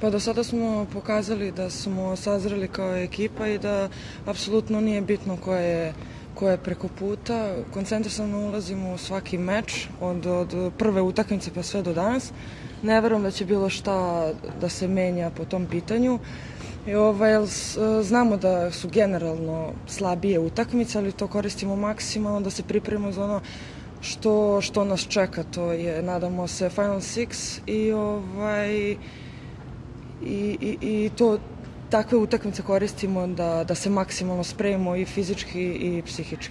Pa do sada smo pokazali da smo sazreli kao ekipa i da apsolutno nije bitno ko je preko puta. Koncentrisano ulazimo u svaki meč od prve utakmice pa sve do danas. Ne verujem da će bilo šta da se menja po tom pitanju. Znamo da su generalno slabije utakmice, ali to koristimo maksimalno da se pripremimo za ono što nas čeka. To je, nadamo se, Final Six i takve utakmice koristimo da se maksimalno spremimo i fizički i psihički.